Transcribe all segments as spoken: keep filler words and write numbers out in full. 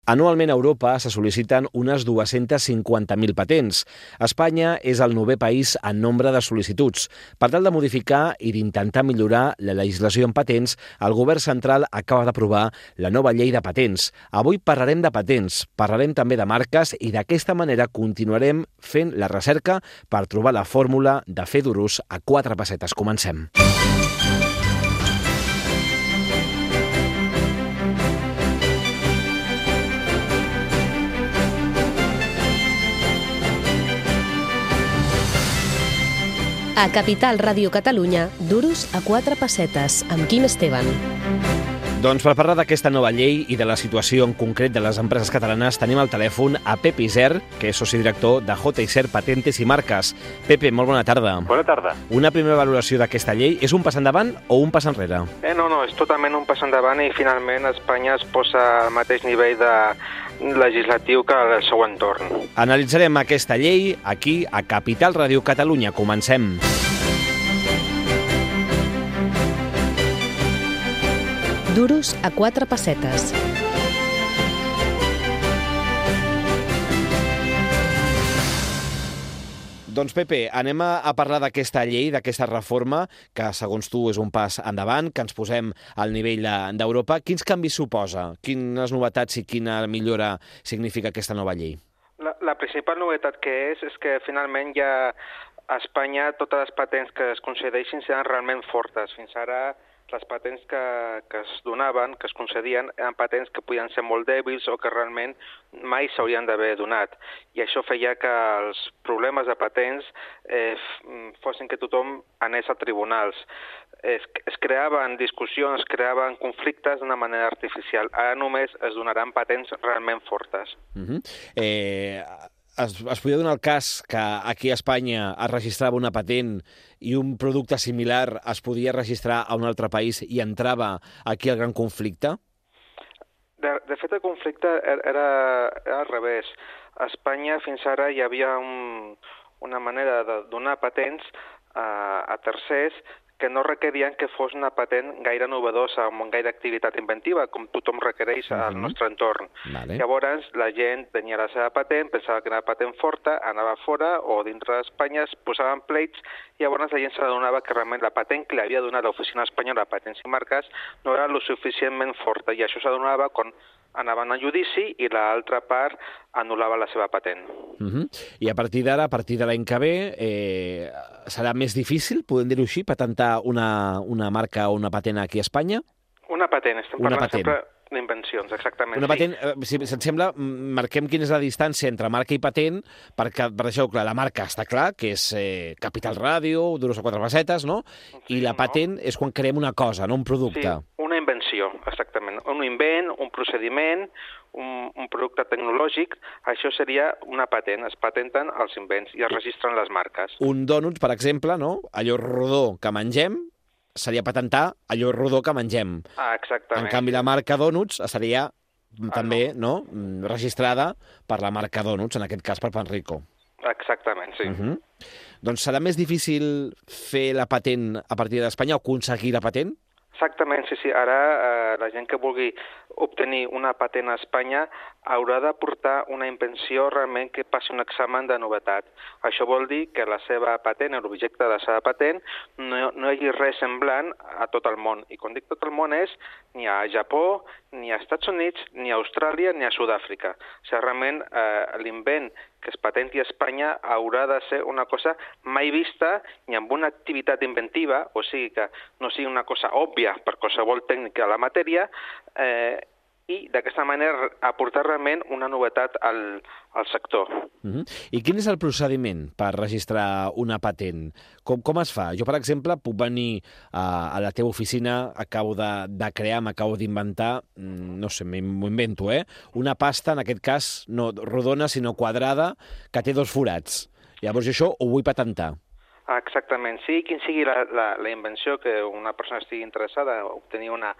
Anualment a Europa se sol·liciten unes dues-centes cinquanta mil patents. Espanya és el novè país en nombre de sol·licituds. Per tal de modificar i d'intentar millorar la legislació en patents, el govern central acaba d'aprovar la nova llei de patents. Avui parlarem de patents, parlarem també de marques i d'aquesta manera continuarem fent la recerca per trobar la fórmula de fer duros a quatre pessetes. Comencem. A Capital Ràdio Catalunya, duros a quatre pessetes, amb Quim Esteban. Doncs per parlar d'aquesta nova llei i de la situació en concret de les empreses catalanes, tenim al telèfon a Pepe Isern, que és soci director de J. Isern Patentes i Marques. Pepe, molt bona tarda. Bona tarda. Una primera valoració d'aquesta llei, és un pas endavant o un pas enrere? Eh, no, no, és totalment un pas endavant i finalment Espanya es posa al mateix nivell de legislatiu que el seu entorn. Analitzarem aquesta llei aquí a Capital Ràdio Catalunya. Comencem. Duros a quatre pessetes. Doncs, Pepe, anem a parlar d'aquesta llei, d'aquesta reforma, que, segons tu, és un pas endavant, que ens posem al nivell d'Europa. Quins canvis suposa? Quines novetats i quina millora significa aquesta nova llei? La, la principal novetat que és, és que finalment ja a Espanya totes les patents que es concedeixin seran realment fortes. Fins ara les patents que, que es donaven, que es concedien, eren patents que podien ser molt dèbils o que realment mai s'haurien d'haver donat. I això feia que els problemes de patents eh, fossin que tothom anés a tribunals. Es, es creaven discussions, es creaven conflictes d'una manera artificial. Ara només es donaran patents realment fortes. Uh-huh. Eh... Es, es podia donar el cas que aquí a Espanya es registrava una patent i un producte similar es podia registrar a un altre país i entrava aquí el gran conflicte? De, de fet, el conflicte era, era al revés. A Espanya fins ara hi havia un, una manera de donar patents a, a tercers que no requerien que fos una patent gaire novedosa, amb gaire activitat inventiva, com tothom requereix al uh-huh. nostre entorn. Vale. Llavors, la gent tenia la seva patent, pensava que era una patent forta, anava fora o dintre d'Espanya, es posaven pleits, i llavors la gent s'adonava que realment la patent que li havia donat l'Oficina Espanyola de Patents i Marques no era lo suficientment forta, i això s'adonava quan anaven a judici i l'altra part anul·lava la seva patent. Uh-huh. I a partir d'ara, a partir de l'any que ve, eh, serà més difícil, podem dir-ho així, patentar una, una marca o una patent aquí a Espanya? Una patent, estem una parlant patent. sempre d'invencions, exactament. Una patent, sí. Si, si et sembla, marquem quina és la distància entre marca i patent, perquè, per això, clar, la marca està clar, que és eh, Capital Ràdio, duros a quatre pessetes, no? I la patent no. és quan creem una cosa, no un producte. Sí, una invenció, exactament. Un invent, un procediment, un, un producte tecnològic, això seria una patent. Es patenten els invents i es registren les marques. Un dònut, per exemple, no? Allò rodó que mengem, seria patentar allò rodó que mengem. Ah, exactament. En canvi, la marca Donuts seria ah, també no. no registrada per la marca Donuts, en aquest cas per Panrico. Exactament, sí. Uh-huh. Doncs serà més difícil fer la patent a partir d'Espanya o aconseguir la patent? Exactament, sí, sí. Ara eh, la gent que vulgui obtenir una patent a Espanya haurà de portar una invenció realment que passi un examen de novetat. Això vol dir que la seva patent, l'objecte de la seva patent, no, no hi hagi res semblant a tot el món. I quan dic tot el món és ni a Japó, ni a Estats Units, ni a Austràlia, ni a Sud-àfrica. O sigui, realment eh, l'invent que es patenti a Espanya haurà de ser una cosa mai vista ni amb una activitat inventiva, o sigui que no sigui una cosa òbvia per qualsevol tècnica de la matèria, eh, i d'aquesta manera aportar realment una novetat al, al sector. Uh-huh. I quin és el procediment per registrar una patent? Com, com es fa? Jo, per exemple, puc venir a, a la teva oficina, acabo de, de crear, m'acabo d'inventar, no sé, m'ho invento, eh? Una pasta, en aquest cas, no rodona, sinó quadrada, que té dos forats. Llavors jo això ho vull patentar. Exactament, sí, quin sigui la, la, la invenció que una persona estigui interessada a obtenir una,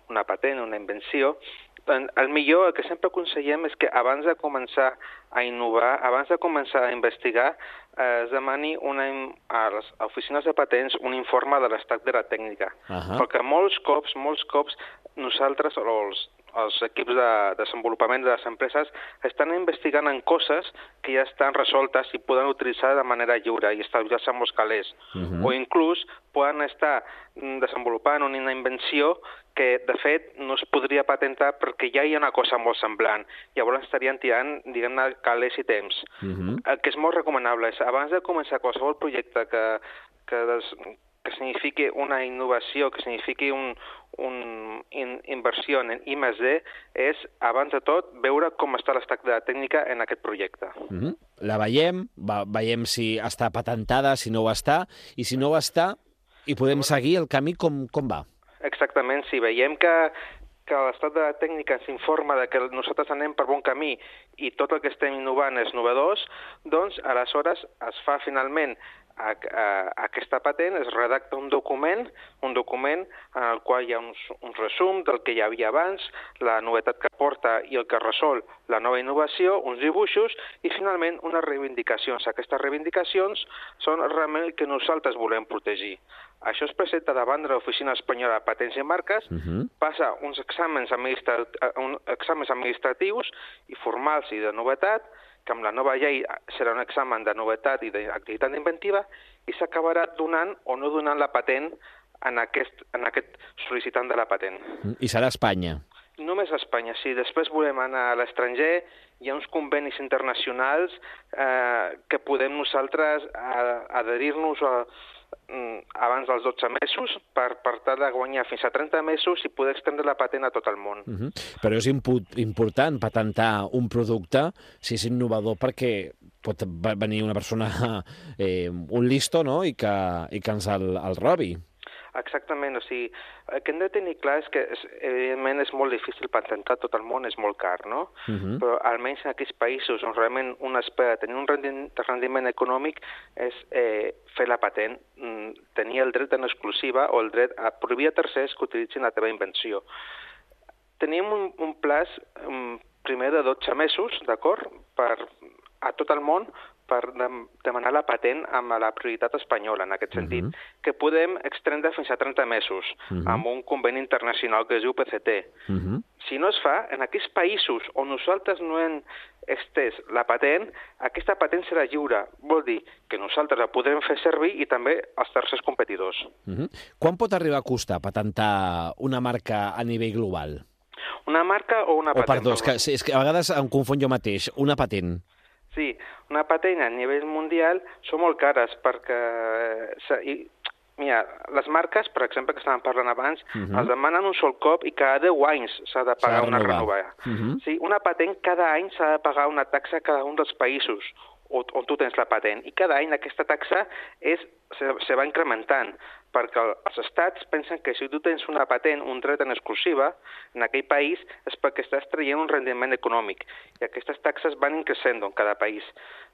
una patent, una invenció, el millor, el que sempre aconsellem és que abans de començar a innovar, abans de començar a investigar, eh, es demani una, a les oficines de patents un informe de l'estat de la tècnica. Uh-huh. Perquè molts cops, molts cops, nosaltres, o els, els equips de desenvolupament de les empreses estan investigant en coses que ja estan resoltes i poden utilitzar de manera lliure i establir-se amb els calés. Uh-huh. O inclús poden estar desenvolupant una invenció que, de fet, no es podria patentar perquè ja hi ha una cosa molt semblant. Llavors estarien tirant, diguem-ne, calés i temps. Uh-huh. El que és molt recomanable és, abans de començar qualsevol projecte que, que, des, que signifiqui una innovació, que signifiqui un, un in, inversió en I més D, és, abans de tot, veure com està l'estat de la tècnica en aquest projecte. Uh-huh. La veiem, va, veiem si està patentada, si no ho està, i si no ho està, i podem seguir el camí com, com va. Exactament, si veiem que, que l'estat de la tècnica ens informa de que nosaltres anem per bon camí i tot el que estem innovant és novedós, doncs aleshores es fa finalment a, a, a aquesta patent, es redacta un document, un document en el qual hi ha uns, un resum del que hi havia abans, la novetat que porta i el que resol la nova innovació, uns dibuixos i finalment unes reivindicacions. Aquestes reivindicacions són realment el que nosaltres volem protegir. Això es presenta davant de l'Oficina Espanyola de Patents i Marques, uh-huh. passa uns exàmens, administra... uns exàmens administratius i formals i de novetat, que amb la nova llei serà un examen de novetat i d'activitat inventiva, i s'acabarà donant o no donant la patent en aquest, en aquest sol·licitant de la patent. I serà a Espanya? Només a Espanya. Si després volem anar a l'estranger, hi ha uns convenis internacionals eh, que podem nosaltres adherir-nos a abans dels dotze mesos per, per tal de guanyar fins a trenta mesos i poder extendre la patent a tot el món. Uh-huh. Però és impu- important patentar un producte si és innovador perquè pot venir una persona, eh, un listo, no?, i que, i que ens el, el robi. Exactament, o sigui, el que hem de tenir clar és que, evidentment, és molt difícil patentar tot el món, és molt car, no? Uh-huh. Però almenys en aquells països on realment un espera tenir un rendiment, rendiment econòmic és eh, fer la patent, tenir el dret en exclusiva o el dret a prohibir a tercers que utilitzin la teva invenció. Tenim un, un plaç um, primer de dotze mesos, d'acord?, per a tot el món, per demanar la patent amb la prioritat espanyola, en aquest sentit, uh-huh. que podem extendre fins a trenta mesos, uh-huh. amb un conveni internacional que es diu P C T. Uh-huh. Si no es fa, en aquells països on nosaltres no hem estès la patent, aquesta patent serà lliure. Vol dir que nosaltres la podrem fer servir i també els tercers competidors. Uh-huh. Quan pot arribar a costar patentar una marca a nivell global? Una marca o una patent? O perdó, és que, és que a vegades em confon jo mateix. Una patent. Sí, una patent a nivell mundial són molt cares perquè, i, mira, les marques, per exemple, que estàvem parlant abans, uh-huh. els demanen un sol cop i cada deu anys s'ha de pagar una renovada. Uh-huh. Sí, una patent cada any s'ha de pagar una taxa a cada un dels països on, on tu tens la patent i cada any aquesta taxa és, se, se va incrementant perquè els estats pensen que si tu tens una patent, un dret en exclusiva, en aquell país és perquè estàs traient un rendiment econòmic i aquestes taxes van increixent en cada país.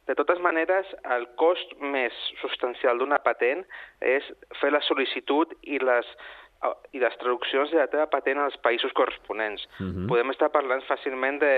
De totes maneres, el cost més substancial d'una patent és fer la sol·licitud i les, i les traduccions de la teva patent als països corresponents. Uh-huh. Podem estar parlant fàcilment de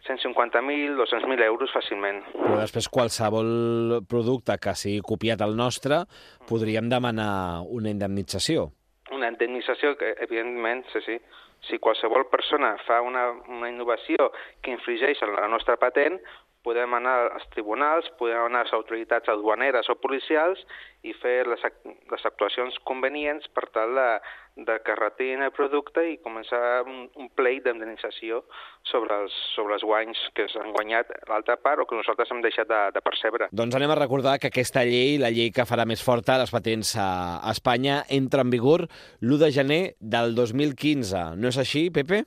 cent cinquanta mil, dos-cents mil euros fàcilment. Però després qualsevol producte que sigui copiat al nostre podríem demanar una indemnització. Una indemnització que, evidentment, sí, sí. Si qualsevol persona fa una, una innovació que infringeix en la nostra patent, podem anar als tribunals, podem anar a les autoritats aduaneres o policials i fer les, les actuacions convenients per tal de, de que retirin el producte i començar un, un pleit d'indemnització sobre els, sobre els guanys que s'han guanyat l'altra part o que nosaltres hem deixat de, de percebre. Doncs anem a recordar que aquesta llei, la llei que farà més forta les patents a, a Espanya, entra en vigor l'u de gener del dos mil quinze. No és així, Pepe?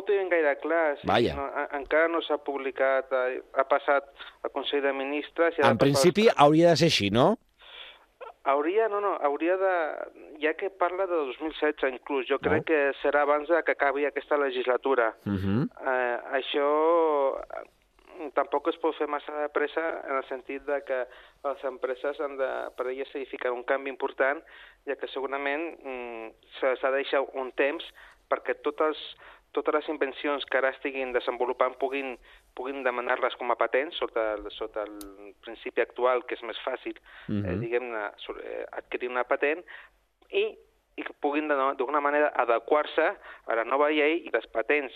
Tenen gaire clar, sí, no, encara no s'ha publicat, ha, ha passat al Consell de Ministres... En principi els... hauria de ser així, no? Hauria, no, no, hauria de... Ja que parla de dos mil setze inclús, jo crec no. que serà abans que acabi aquesta legislatura. Uh-huh. eh, això tampoc es pot fer massa de pressa en el sentit de que les empreses han de, per elles signifiquen un canvi important, ja que segurament mm, s'ha de deixar un temps perquè totes, totes les invencions que ara estiguin desenvolupant puguin, puguin demanar-les com a patents sota, sota el principi actual, que és més fàcil, uh-huh. eh, diguem-ne, adquirir una patent, i i que puguin d'alguna manera adequar-se a la nova llei i les patents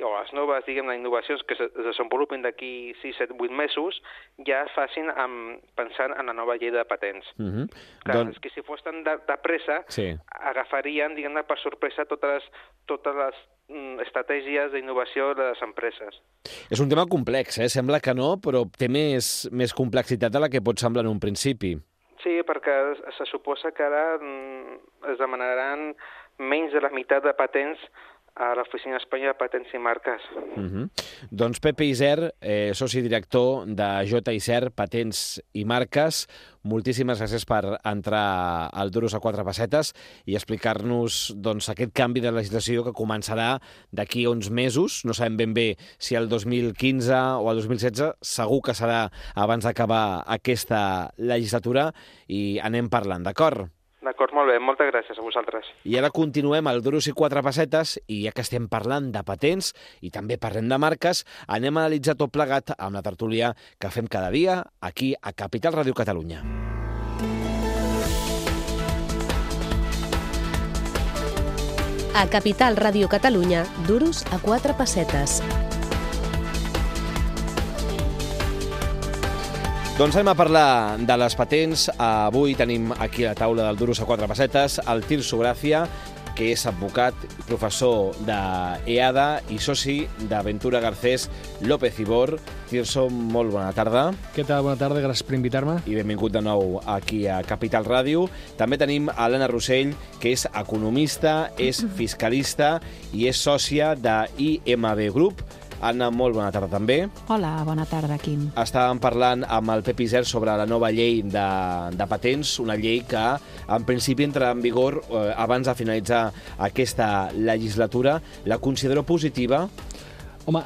o les noves, diguem, les innovacions que es desenvolupin d'aquí sis, set, vuit mesos ja es facin amb, pensant en la nova llei de patents. Uh-huh. Clar, Don... és que si fos tan de, de pressa, sí. agafarien, diguem-ne, per sorpresa totes les, totes les mm, estratègies d'innovació de les empreses. És un tema complex, eh? Sembla que no, però té més, més complexitat de la que pot semblar en un principi. Sí, perquè se suposa que ara mm, es demanaran menys de la meitat de patents a l'Oficina Espanyola de Patents i Marques. Uh-huh. Doncs Pepe Isern, eh, soci director de J. Isern, Patents i Marques, moltíssimes gràcies per entrar al Duros a quatre pessetes i explicar-nos doncs, aquest canvi de legislació que començarà d'aquí a uns mesos. No sabem ben bé si el dos mil quinze o el dos mil setze, segur que serà abans d'acabar aquesta legislatura i anem parlant, d'acord? D'acord, molt bé, moltes gràcies a vosaltres. I ara continuem al Duros i quatre pessetes i ja que estem parlant de patents i també parlem de marques, anem a analitzar tot plegat amb la tertúlia que fem cada dia aquí a Capital Ràdio Catalunya. A Capital Ràdio Catalunya, Duros a quatre pessetes. Doncs anem a parlar de les patents. Avui tenim aquí a la taula del Duros a quatre pessetes el Tirso Gràcia, que és advocat, professor d'EADA i soci d'Aventura Garcés López Ibor. Tirso, molt bona tarda. Què tal? Bona tarda, gràcies per invitar-me. I benvingut de nou aquí a Capital Ràdio. També tenim a l'Anna Rossell, que és economista, és fiscalista i és sòcia de I M B Group. Anna, molt bona tarda també. Hola, bona tarda, Quim. Estàvem parlant amb el Pep Isern sobre la nova llei de, de patents, una llei que en principi entrarà en vigor eh, abans de finalitzar aquesta legislatura. La considero positiva? Home,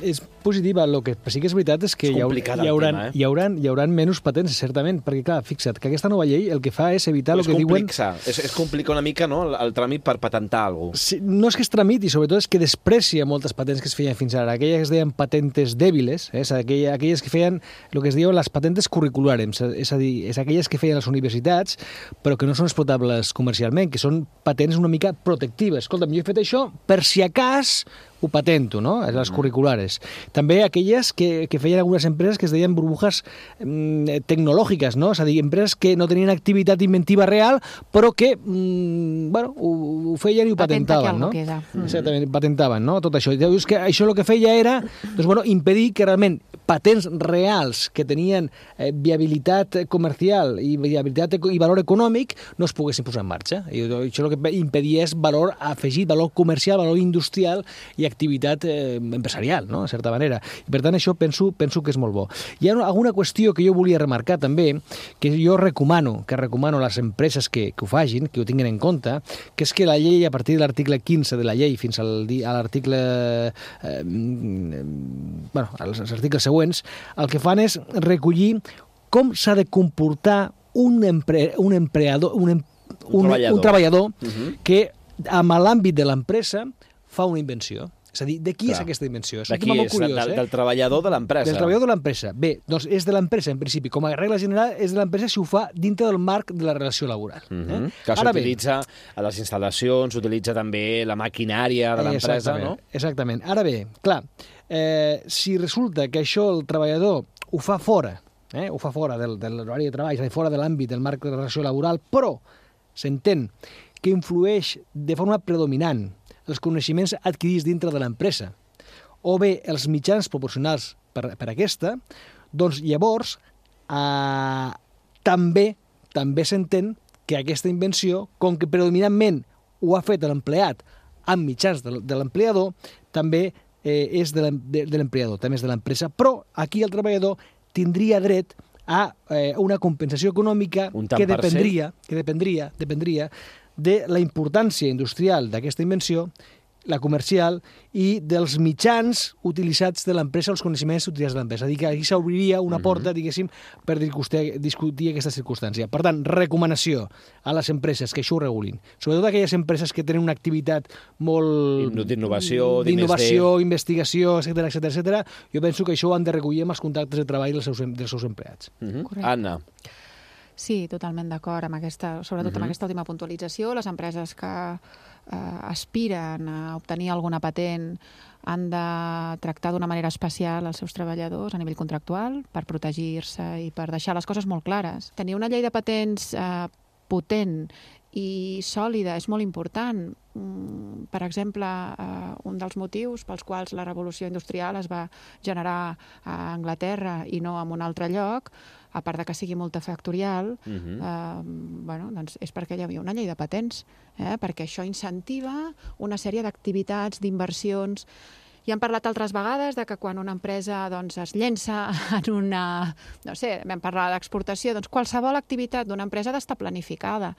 és positiva. El que sí que és veritat és que és hi, haurà, hi, haurà, tema, eh? hi, haurà, hi haurà menys patents, certament, perquè, clar, fixa't, que aquesta nova llei el que fa és evitar el que diuen... És, és complicar una mica, no?, el, el tràmit per patentar alguna cosa. Sí, no és que es tramiti, sobretot és que desprecia moltes patents que es feien fins ara. Aquelles que es deien patentes dèbiles, eh? És aquelles, aquelles que feien el que es diuen les patentes curriculars, és a dir, és aquelles que feien les universitats, però que no són explotables comercialment, que són patents una mica protectives. Escolta'm, jo he fet això per si a cas ho patento, no?, les curriculares. També aquelles que, que feien algunes empreses que es deien burbujas mm, tecnològiques, no?, és a dir, empreses que no tenien activitat inventiva real, però que, mm, bueno, ho, ho feien i ho patentaven, no? Queda. Exactament, patentaven, no?, tot això. I dius que això el que feia era, doncs, bueno, impedir que realment patents reals que tenien eh, viabilitat comercial i viabilitat i valor econòmic no es poguessin posar en marxa. I això el que impedia és valor afegit, valor comercial, valor industrial i activitat eh, empresarial, no?, de certa manera. I per tant, això penso, penso que és molt bo. Hi ha alguna qüestió que jo volia remarcar també, que jo recomano, que recomano a les empreses que, que ho fagin, que ho tinguin en compte, que és que la llei, a partir de l'article quinze de la llei fins al, a l'article... Eh, bueno, als articles següents, el que fan és recollir com s'ha de comportar un, empre, un empleador, un, un, un treballador, un treballador uh-huh. que, amb l'àmbit de l'empresa, fa una invenció. És a dir, de qui Clar. és aquesta invenció? És de qui és? Curiós, del, eh? del treballador de l'empresa. Del treballador de l'empresa. Bé, doncs és de l'empresa, en principi. Com a regla general, és de l'empresa si ho fa dintre del marc de la relació laboral. Uh-huh. eh? Que s'utilitza a les instal·lacions, s'utilitza també la maquinària de l'empresa, no? Exactament. Ara bé, clar, eh, si resulta que això el treballador ho fa fora, eh? ho fa fora del, de l'horari de treball, és a dir, fora de l'àmbit del marc de la relació laboral, però s'entén que influeix de forma predominant els coneixements adquirits dintre de l'empresa, o bé els mitjans proporcionals per, per aquesta, doncs llavors eh, també també s'entén que aquesta invenció, com que predominantment ho ha fet l'empleat amb mitjans de, de l'empleador, també eh, és de l'empleador, també és de l'empresa, però aquí el treballador tindria dret a eh, una compensació econòmica que dependria, que dependria, dependria de la importància industrial d'aquesta invenció, la comercial, i dels mitjans utilitzats de l'empresa, els coneixements utilitzats de l'empresa. És a dir, que aquí s'obriria una porta, diguéssim, per discutir aquesta circumstància. Per tant, recomanació a les empreses que això ho regulin. Sobretot aquelles empreses que tenen una activitat molt... d'innovació, d'innovació, investigació, etcètera, etcètera, etcètera. Jo penso que això ho han de recollir amb els contractes de treball dels seus, dels seus empleats. Uh-huh. Anna. Sí, totalment d'acord amb aquesta, sobretot Mhm. amb aquesta última puntualització. Les empreses que eh, aspiren a obtenir alguna patent han de tractar d'una manera especial els seus treballadors a nivell contractual per protegir-se i per deixar les coses molt clares. Tenir una llei de patents eh, potent i sòlida és molt important. Mm, Per exemple, eh, un dels motius pels quals la revolució industrial es va generar a Anglaterra i no en un altre lloc, a part de que sigui multifactorial, Mhm. eh, bueno, doncs és perquè hi havia una llei de patents, eh, perquè això incentiva una sèrie d'activitats, d'inversions. I hem parlat altres vegades de que quan una empresa doncs, es llença en una... No sé, vam parlar d'exportació, doncs qualsevol activitat d'una empresa ha d'estar planificada.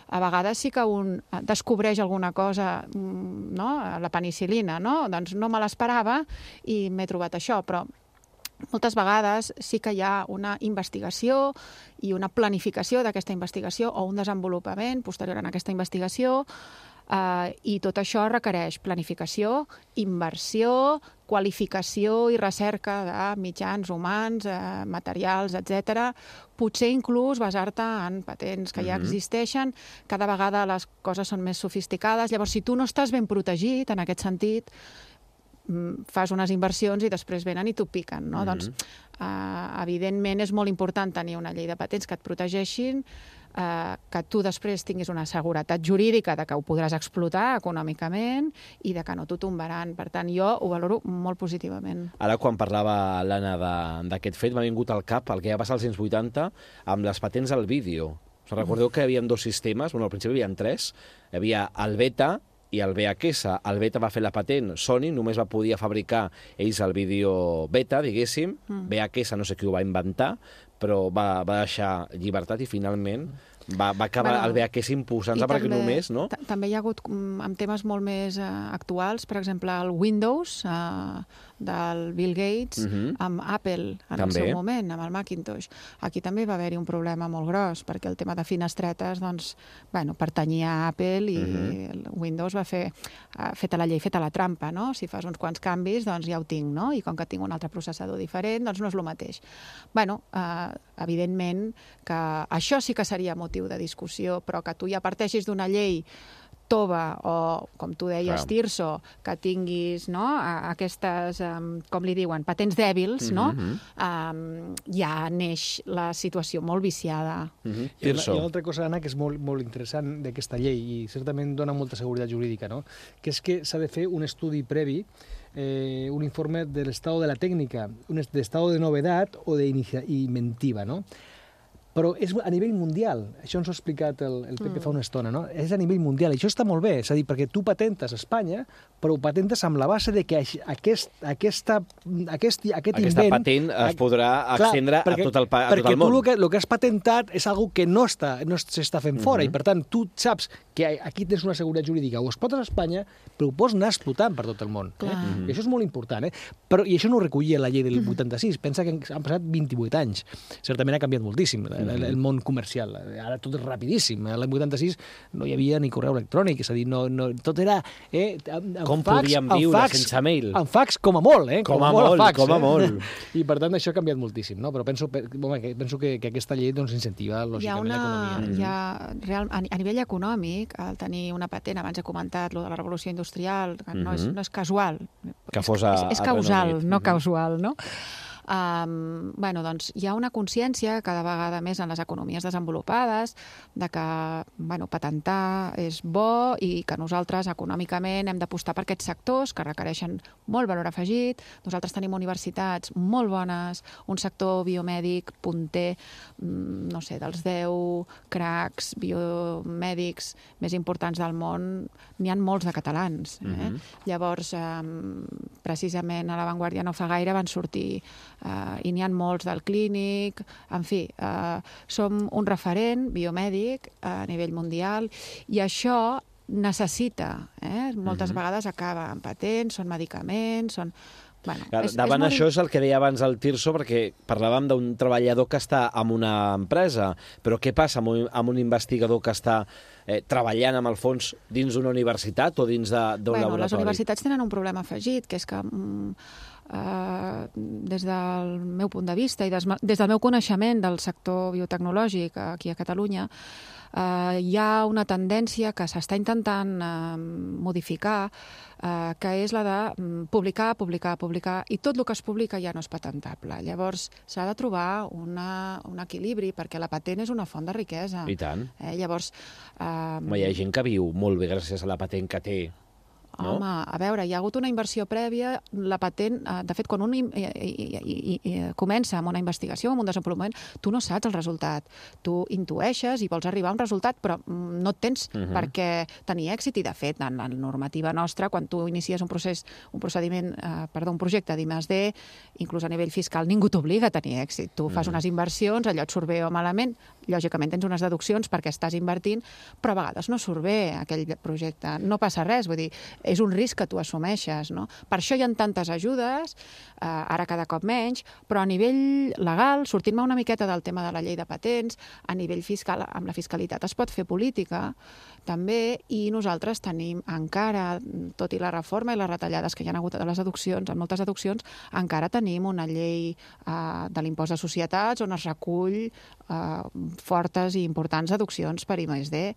A vegades sí que un descobreix alguna cosa, mm, no? La penicil·lina, no? Doncs no me l'esperava i m'he trobat això, però moltes vegades sí que hi ha una investigació i una planificació d'aquesta investigació o un desenvolupament posterior a aquesta investigació, eh, i tot això requereix planificació, inversió, qualificació i recerca de mitjans humans, eh, materials, etcètera. Potser inclús basar-te en patents que ja Mhm. existeixen. Cada vegada les coses són més sofisticades. Llavors, si tu no estàs ben protegit en aquest sentit, fas unes inversions i després venen i t'ho piquen, no? Mhm. Doncs, eh, evidentment, és molt important tenir una llei de patents que et protegeixin, eh, que tu després tinguis una seguretat jurídica de que ho podràs explotar econòmicament i de que no t'ho tombaran. Per tant, jo ho valoro molt positivament. Ara, quan parlava l'Anna de- d'aquest fet, m'ha vingut al cap el que va passar als anys vuitanta amb les patents al vídeo. Us recordeu que hi havia dos sistemes? Bueno, al principi hi havia tres. Hi havia el Beta i el V H S. El Beta va fer la patent, Sony només va poder fabricar ells el vídeo Beta, diguéssim. Mm. V H S no sé qui ho va inventar, però va, va deixar llibertat i finalment va, va acabar Bueno, el V H S imposant-se I perquè també- només, no? ta- També hi ha hagut, mm, amb temes molt més eh, actuals, per exemple, el Windows eh, del Bill Gates, Mhm. amb Apple en També. el seu moment, amb el Macintosh. Aquí també va haver-hi un problema molt gros, perquè el tema de finestretes, doncs, bueno, pertanyia a Apple i Mhm. el Windows va fer, eh, feta la llei, feta la trampa, no? Si fas uns quants canvis, doncs ja ho tinc, no? I com que tinc un altre processador diferent, doncs no és el mateix. Bueno, eh, evidentment que això sí que seria motiu de discussió, però que tu ja parteixis d'una llei tova o, com tu deies, Clar. Tirso, que tinguis, no, a- aquestes, um, com li diuen, patents dèbils, no? Mhm. Um, ja neix la situació molt viciada. Mhm. Hi ha, una, Tirso. hi ha una altra cosa, Anna, que és molt, molt interessant d'aquesta llei i certament dona molta seguretat jurídica, no? Que és que s'ha de fer un estudi previ, eh, un informe de l'estat de la tècnica, un est- d'estat de novedat o d'inventiva, no? Però és a nivell mundial. Això ens ho ha explicat el, el Pepe Mm. fa una estona, no? És a nivell mundial. I això està molt bé, és a dir, perquè tu patentes a Espanya, però ho patentes amb la base de que aix- aquest, aquesta, aquest, aquest Aquesta invent... patent es a- podrà Clar, estendre a tot el, pa- a tot perquè el món. tu el que, el que has patentat és algo que no està no s'està fent fora, Mhm. i per tant tu saps que aquí tens una seguretat jurídica, ho explotes a Espanya, però ho pots anar explotant per tot el món. Eh? Clar. Mhm. I això és molt important. Eh? Però, I això no ho recollia la llei del vuitanta-sis. Pensa que han passat vint-i-vuit anys. Certament ha canviat moltíssim el, el, el món comercial. Ara tot és rapidíssim. L'any vuitanta-sis no hi havia ni correu electrònic, és a dir, no, no, tot era... Eh, amb, amb Com fax, podríem amb viure fax, sense mail? Amb fax com a molt, eh? Com a molt, fax, com a eh? molt. I per tant això ha canviat moltíssim, no? Però penso, pe- home, que, penso que, que aquesta llei doncs, incentiva Hi ha lògicament una, l'economia. hi ha, real, a, a nivell econòmic, el tenir una patent, abans he comentat, lo de la revolució industrial, que no, és, Mhm. no és casual. Que és, fos a- és, és a Regne causal, Unit. no Mhm. causal, no? Um, bueno, doncs hi ha una consciència cada vegada més en les economies desenvolupades de que, bueno, patentar és bo i que nosaltres econòmicament hem d'apostar per aquests sectors que requereixen molt valor afegit. Nosaltres tenim universitats molt bones, un sector biomèdic punter, mm, no sé, dels deu cracs biomèdics més importants del món, n'hi ha molts de catalans. Eh? Mhm. Llavors, eh, precisament a l'avantguàrdia no fa gaire van sortir Uh, i n'hi ha molts del clínic, en fi, uh, som un referent biomèdic a nivell mundial i això necessita, eh? moltes Mhm. vegades acaba en patents, són medicaments, són... Bueno, Clar, és, davant és molt això és el que deia abans el Tirso, perquè parlàvem d'un treballador que està en una empresa, però què passa amb un, amb un investigador que està eh, treballant amb el fons dins d'una universitat o dins d'un bueno, laboratori? les universitats tenen un problema afegit, que és que mm, Uh, des del meu punt de vista i des, des del meu coneixement del sector biotecnològic aquí a Catalunya, eh, hi ha una tendència que s'està intentant eh, modificar, eh, que és la de publicar, publicar, publicar, i tot el que es publica ja no és patentable. Llavors, s'ha de trobar una, un equilibri, perquè la patent és una font de riquesa. I tant. Eh, llavors... Eh, Home, hi ha gent que viu molt bé gràcies a la patent que té. No? Home, a veure, hi ha hagut una inversió prèvia, la patent, de fet, quan un i, i, i, i comença amb una investigació, amb un desenvolupament, tu no saps el resultat. Tu intueixes i vols arribar a un resultat, però no et tens uh-huh. per què tenir èxit, i de fet, en la normativa nostra, quan tu inicies un procés, un procediment, eh, perdó, un projecte d'I més D, inclús a nivell fiscal, ningú t'obliga a tenir èxit. Tu fas uh-huh. unes inversions, allò et surt bé o malament, lògicament tens unes deduccions perquè estàs invertint, però a vegades no surt bé aquell projecte. No passa res, vull dir, és un risc que tu assumeixes, no? Per això hi ha tantes ajudes, eh, ara cada cop menys, però a nivell legal, sortint-me una miqueta del tema de la llei de patents, a nivell fiscal, amb la fiscalitat es pot fer política, també, i nosaltres tenim encara, tot i la reforma i les retallades que hi ha hagut de les deduccions, en moltes deduccions, encara tenim una llei eh, de l'impost de societats on es recull eh, fortes i importants deduccions per I més D.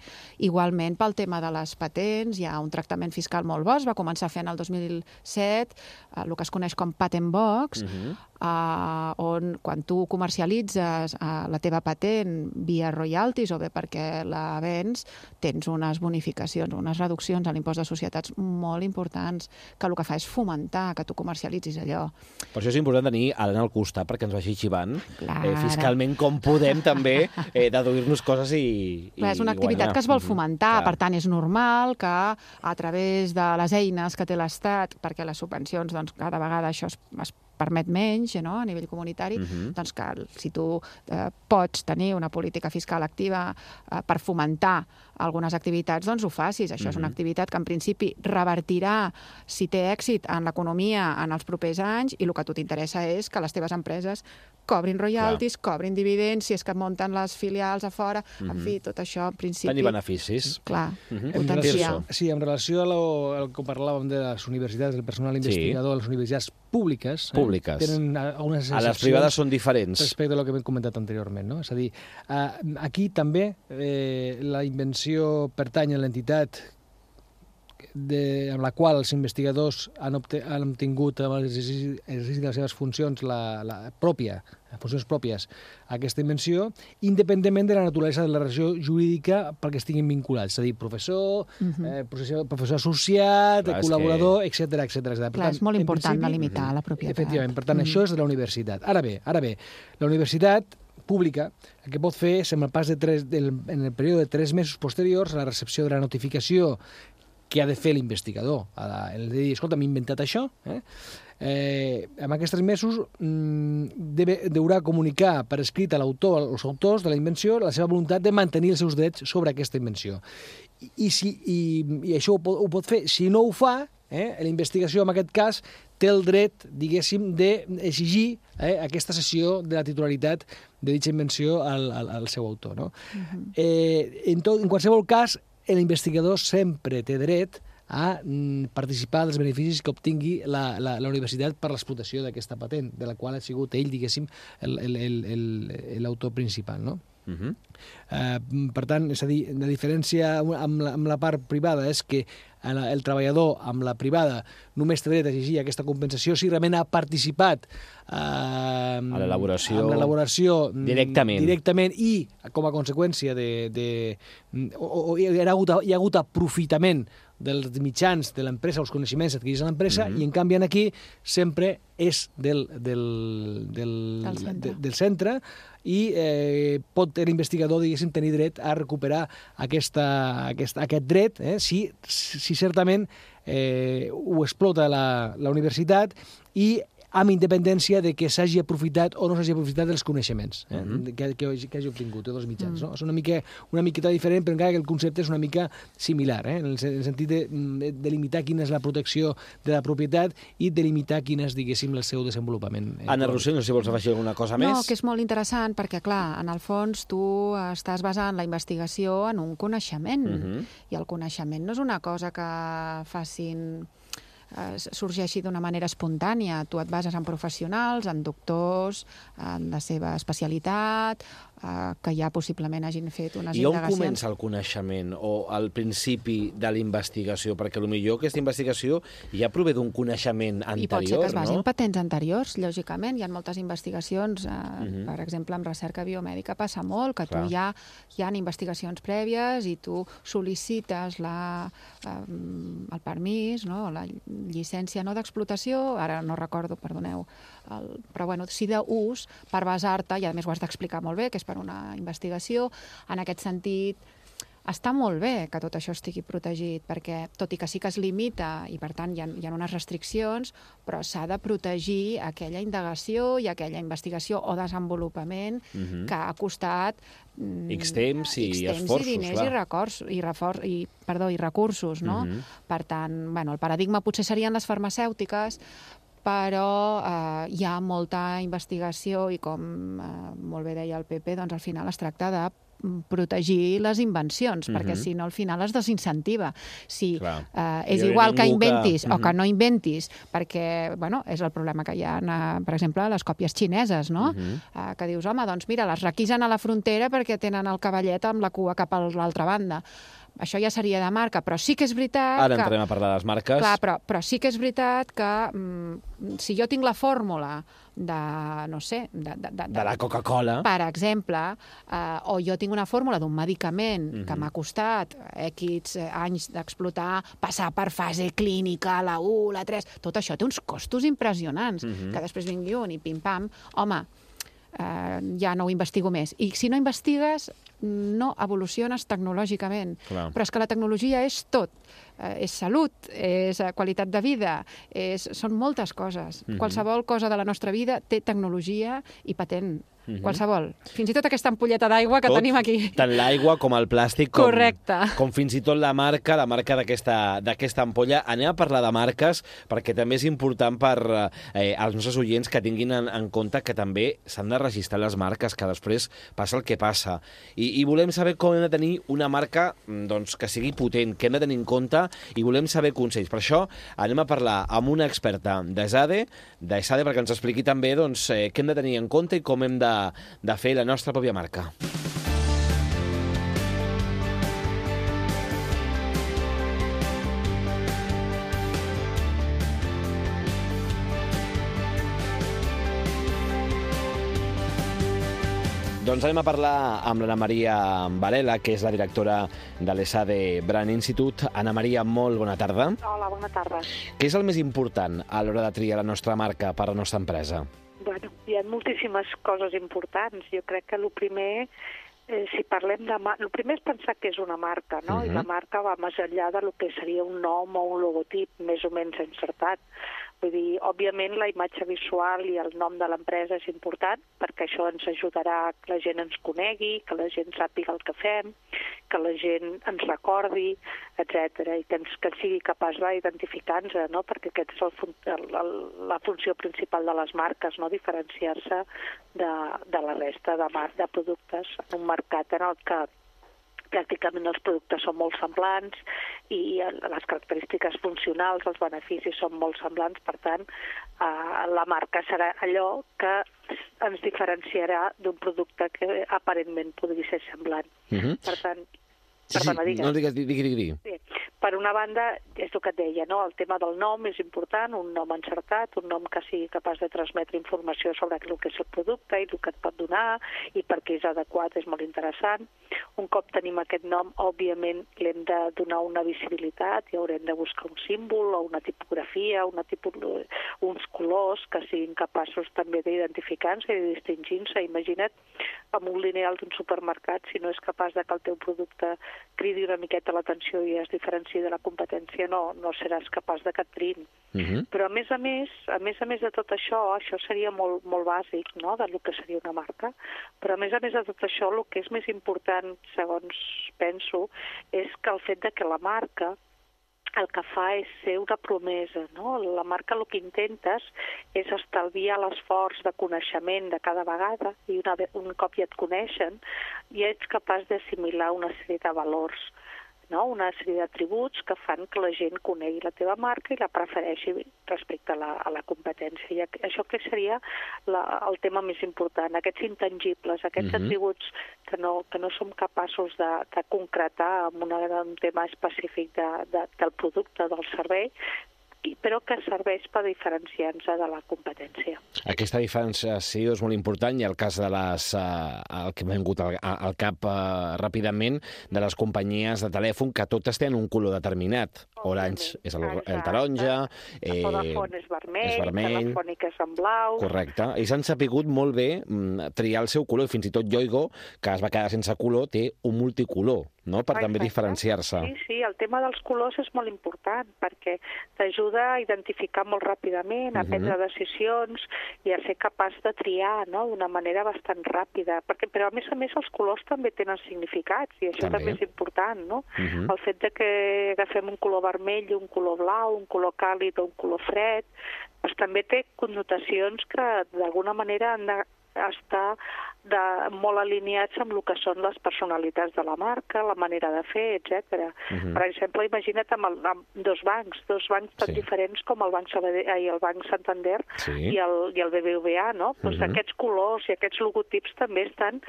Igualment, pel tema de les patents, hi ha un tractament fiscal molt bo, es va començar fent el dos mil set, eh, el que es coneix com Patent Box, uh-huh. eh, on quan tu comercialitzes eh, la teva patent via royalties o bé perquè la vens, tens unes bonificacions, unes reduccions a l'impost de societats molt importants, que el que fa és fomentar que tu comercialitzis allò. Per això és important tenir Alan al costat perquè ens vagi xivant eh, fiscalment com podem també eh, deduir-nos coses i, i Clar, és una activitat guanyar. que es vol fomentar, Clar. Per tant és normal que a través de les eines que té l'Estat, perquè les subvencions, doncs, cada vegada això es, es permet menys, no?, a nivell comunitari, uh-huh. doncs que si tu eh, pots tenir una política fiscal activa eh, per fomentar algunes activitats, doncs ho facis. Això uh-huh. és una activitat que en principi revertirà, si té èxit, en l'economia en els propers anys, i el que a tu t'interessa és que les teves empreses cobrin royalties, Clar. cobrin dividends, si és que munten les filials a fora, uh-huh. en fi, tot això, en principi... Tenir beneficis. Clar, uh-huh. potenciar. Sí, en relació a lo, al que parlàvem de les universitats, del personal investigador, sí. les universitats públiques, eh, públiques. tenen unes a les privades són diferents. Respecte a lo que hem comentat anteriorment, no? És a dir, aquí també eh, la invenció pertany a l'entitat de, amb la qual els investigadors han, obte, han obtingut amb l'exercici de les seves funcions la, la pròpia, funcions pròpies a aquesta invenció, independentment de la naturalesa de la relació jurídica pel que estiguin vinculats, és a dir, professor, uh-huh. eh, professor, professor associat, Clar, col·laborador, que... etcètera, etcètera. Clar, tant, és molt important delimitar la propietat. Efectivament, per tant, uh-huh. això és de la universitat. Ara bé, ara bé, la universitat pública, el que pot fer és, en el pas de tres, del, en el període de tres mesos posteriors a la recepció de la notificació que ha de fer l'investigador. El de dir, escolta, m'he inventat això, eh? Eh, en aquests mesos mmm, deve, deurà comunicar per escrit a l'autor, als autors de la invenció, la seva voluntat de mantenir els seus drets sobre aquesta invenció. I, i, si, i, i això ho pot, ho pot fer. Si no ho fa, eh, la investigació, en aquest cas, té el dret, diguéssim, d'exigir eh, aquesta cessió de la titularitat de dicha invenció al, al, al seu autor. No? Uh-huh. eh, en, tot, en qualsevol cas, l'investigador sempre té dret a participar dels beneficis que obtingui la, la, la universitat per l'explotació d'aquesta patent, de la qual ha sigut ell, diguéssim, l'autor principal, no? Uh-huh. Uh, per tant, és a dir, la diferència amb la, amb la part privada és que el treballador amb la privada només té dret a exigir aquesta compensació si realment ha participat uh, a l'elaboració directament. directament i com a conseqüència de, de o, o hi, ha hagut, hi ha hagut aprofitament dels mitjans de l'empresa, els coneixements adquirits a l'empresa, mm-hmm. i en canvi aquí sempre és del, del, del, del, centre. De, del centre i eh, pot l'investigador, diguéssim, tenir dret a recuperar aquesta, aquesta, aquest dret, eh, si, si certament eh, ho explota la, la universitat i amb independència de que s'hagi aprofitat o no s'hagi aprofitat dels coneixements eh, mm-hmm. que, que, que hagi obtingut dels mitjans. Mm. No? És una, mica, una miqueta diferent, però encara que el concepte és una mica similar, eh, en el sentit de, de limitar quina és la protecció de la propietat i de limitar quin és, diguéssim, el seu desenvolupament. Eh, Anna Rossell, no sé si vols afegir alguna cosa no, més. No, que és molt interessant perquè, clar, en el fons tu estàs basant la investigació en un coneixement, mm-hmm. i el coneixement no és una cosa que facin eh, sorgeixi d'una manera espontània. Tu et bases en professionals, en doctors, en la seva especialitat, eh, que ja possiblement hagin fet unes I on indagacions. comença el coneixement o el principi de la investigació? Perquè potser aquesta investigació ja prové d'un coneixement anterior, I pot ser que es basi no? en patents anteriors, lògicament. Hi ha moltes investigacions, eh, Mhm. per exemple, en recerca biomèdica passa molt, que Clar. tu ja hi ha investigacions prèvies i tu sol·licites la, eh, el permís, no? La llicència no d'explotació, ara no recordo, perdoneu, el, però bueno, sí d'ús per basar-te, i a més ho has d'explicar molt bé, que és per una investigació. En aquest sentit, està molt bé que tot això estigui protegit, perquè tot i que sí que es limita, i per tant hi ha, hi ha unes restriccions, però s'ha de protegir aquella indagació i aquella investigació o desenvolupament Mhm. que ha costat mm, X temps i X temps esforços, i diners clar. i, records, i, refor, i, perdó, i recursos, no? Mhm. Per tant, bueno, el paradigma potser serien les farmacèutiques, però eh, hi ha molta investigació i, com eh, molt bé deia el Pepe, doncs al final es tracta de protegir les invencions, Mhm. perquè si no al final es desincentiva. Si Clar. eh, és Hi hauria igual que ningú que- inventis o que Mhm. no inventis, perquè, bueno, és el problema que hi ha, eh, per exemple, les còpies xineses, no? Mhm. Eh, que dius, home, doncs mira, les requisen a la frontera perquè tenen el cavallet amb la cua cap a l'altra banda. Això ja seria de marca, però sí que és veritat Ara que... entrem a parlar de les marques. Clar, però, però sí que és veritat que mm, si jo tinc la fórmula de, no sé... De, de, de, De la Coca-Cola. Per exemple, eh, o jo tinc una fórmula d'un medicament Mhm. que m'ha costat X anys d'explotar, passar per fase clínica, la u, la tres... Tot això té uns costos impressionants, Mhm. que després vingui un i pim-pam. Home, eh, ja no ho investigo més. I si no investigues, no evoluciones tecnològicament. Clar. Però és que la tecnologia és tot. Eh, és salut, és eh, qualitat de vida, és, són moltes coses. Mhm. Qualsevol cosa de la nostra vida té tecnologia i patent. Mhm. Qualsevol. Fins i tot aquesta ampolleta d'aigua que Tot, tenim aquí. Tant l'aigua com el plàstic, com, Correcte. com fins i tot la marca, la marca d'aquesta d'aquesta ampolla. Anem a parlar de marques, perquè també és important per eh, als nostres oients que tinguin en, en compte que també s'han de registrar les marques, que després passa el que passa. I, i volem saber com hem de tenir una marca doncs, que sigui potent, que hem de tenir en compte, i volem saber consells. Per això anem a parlar amb una experta d'ESADE, d'ESADE perquè ens expliqui també doncs, eh, què hem de tenir en compte i com hem de de fer la nostra pròpia marca. Doncs anem a parlar amb l'Anna Maria Varela, que és la directora de l'ESADE Brand Institute. Anna Maria, molt bona tarda. Hola, bona tarda. Què és el més important a l'hora de triar la nostra marca per a la nostra empresa? Bueno, hi ha moltíssimes coses importants. Jo crec que el primer, eh, si parlem de... El primer és pensar que és una marca, no? Uh-huh. I la marca va més enllà de lo que seria un nom o un logotip més o menys encertat. Vull dir, òbviament la imatge visual i el nom de l'empresa és important perquè això ens ajudarà que la gent ens conegui, que la gent sàpiga el que fem, que la gent ens recordi, etcètera, i que, ens, que sigui capaç d'identificar-nos, no? Perquè aquesta és el, fun el, el, la funció principal de les marques, no? Diferenciar-se de, de la resta de, mar de productes en un mercat en el que pràcticament els productes són molt semblants i les característiques funcionals, els beneficis són molt semblants, per tant, eh, la marca serà allò que ens diferenciarà d'un producte que aparentment podria ser semblant. Uh-huh. Per tant, sí, perdona, sí, digues. no digues, digui, digui, digui. Sí. Per una banda, és el que et deia, no? El tema del nom és important, un nom encertat, un nom que sigui capaç de transmetre informació sobre el que és el producte i el que et pot donar i per què és adequat, és molt interessant. Un cop tenim aquest nom, òbviament l'hem de donar una visibilitat i haurem de buscar un símbol o una tipografia, una tipus, uns colors que siguin capaços també d'identificar-se i de distingir-se. Imagina't amb un lineal d'un supermercat, si no és capaç de que el teu producte cridi una miqueta l'atenció i es diferenciï de la competència, no, no seràs capaç de que et triïn. Uh-huh. Però a més a més, a més a més de tot això, això seria molt, molt bàsic, no?, del que seria una marca, però a més a més de tot això, el que és més important, segons penso, és que el fet de que la marca el que fa és ser una promesa, no? La marca el que intentes és estalviar l'esforç de coneixement de cada vegada i una, un cop ja et coneixen ja ets capaç d'assimilar una sèrie de valors. no? Una sèrie d'atributs que fan que la gent conegui la teva marca i la prefereixi respecte a la, a la competència. I això crec que seria la, el tema més important, aquests intangibles, aquests uh-huh. atributs que no, que no som capaços de, de concretar en una, un tema específic de, de, del producte, del servei, però que serveix per diferenciar-nos de la competència. Aquesta diferenciació és molt important i el cas de les, uh, el que m'ha vingut al, al cap uh, ràpidament, de les companyies de telèfon, que totes tenen un color determinat. Orange és el, el taronja, eh, Vodafone és vermell, és vermell, Telefònica és en blau... Correcte. Ells han sapigut molt bé mm, triar el seu color, i fins i tot Yoigo, que es va quedar sense color, té un multicolor, no?, per Exacte. També diferenciar-se. Sí, sí, el tema dels colors és molt important, perquè t'ajuda a identificar molt ràpidament, a prendre uh-huh. decisions i a ser capaç de triar, no?, d'una manera bastant ràpida. Perquè, però, a més a més, els colors també tenen significats, i això també, també és important, no? Uh-huh. El fet de que agafem un color vermell, un color blau, un color càlid o un color fred, doncs també té connotacions que, d'alguna manera, han de estar de, molt alineats amb el que són les personalitats de la marca, la manera de fer, etcètera. Uh-huh. Per exemple, imagina't amb, el, amb dos bancs, dos bancs tan sí. diferents com el Banc Sabadell, ai, el Banc Santander sí. i, el, i el B B V A, no? Uh-huh. Doncs aquests colors i aquests logotips també estan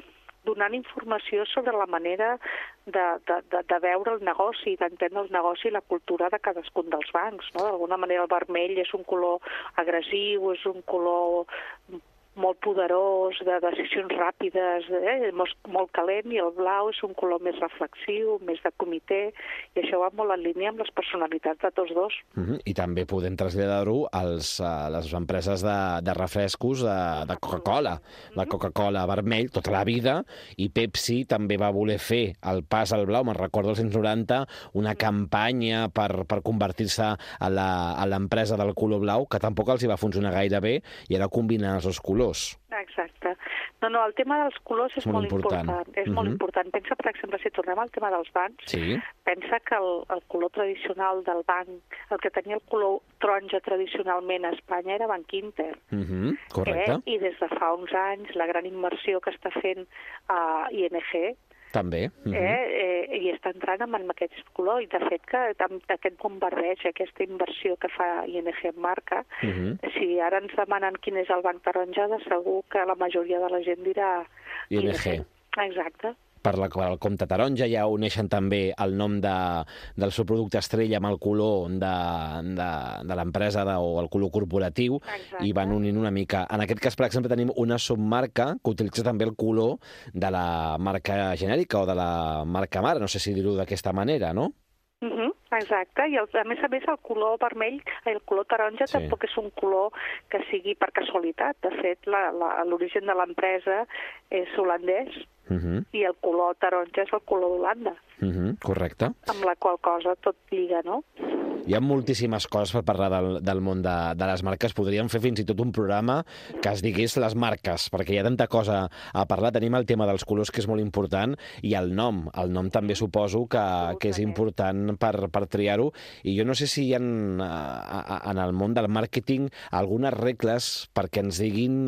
donant informació sobre la manera de, de, de, de veure el negoci, d'entendre el negoci i la cultura de cadascun dels bancs, no? D'alguna manera el vermell és un color agressiu, és un color molt poderós, de decisions ràpides, eh? molt, molt calent, i el blau és un color més reflexiu, més de comitè, i això va molt en línia amb les personalitats de tots dos. Uh-huh. I també podem traslladar-ho als, a les empreses de, de refrescos de, de Coca-Cola. La Coca-Cola vermell tota la vida, i Pepsi també va voler fer el pas al blau, me'n recordo als anys noranta, una campanya per, per convertir-se a l'empresa del color blau, que tampoc els hi va funcionar gaire bé, i era combinar els dos colors. Exacte. No, no, el tema dels colors és, és molt, molt important. important. És uh-huh. molt important. Pensa, per exemple, si tornem al tema dels bancs, sí. pensa que el, el color tradicional del banc, el que tenia el color taronja tradicionalment a Espanya era Banc Inter. Uh-huh. Correcte. Eh? I des de fa uns anys, la gran immersió que està fent a I N G, també. Uh-huh. eh, eh, i està entrant amb aquest color, i de fet que aquest bombardeig, aquesta inversió que fa I N G en marca, uh-huh. si ara ens demanen quin és el banc taronja, de segur que la majoria de la gent dirà I N G. Exacte. Per la, per el compte taronja ja uneixen també el nom de, del seu producte estrella amb el color de, de, de l'empresa de, o el color corporatiu. Exacte. I van unint una mica. En aquest cas, per exemple, tenim una submarca que utilitza també el color de la marca genèrica o de la marca mare, no sé si dir-ho d'aquesta manera, no? Uh-huh. Exacte, i el, a més a més el color vermell, el color taronja sí. tampoc és un color que sigui per casualitat. De fet, l'origen de l'empresa és holandès, uh-huh. i el color taronja és el color d'Holanda. Uh-huh. Correcte. Amb la qual cosa tot lliga, no? Hi ha moltíssimes coses per parlar del, del món de, de les marques. Podríem fer fins i tot un programa que es digués les marques, perquè hi ha tanta cosa a parlar. Tenim el tema dels colors, que és molt important, i el nom. El nom també suposo que, que és important per, per triar-ho. I jo no sé si hi ha en, en el món del màrqueting algunes regles perquè ens diguin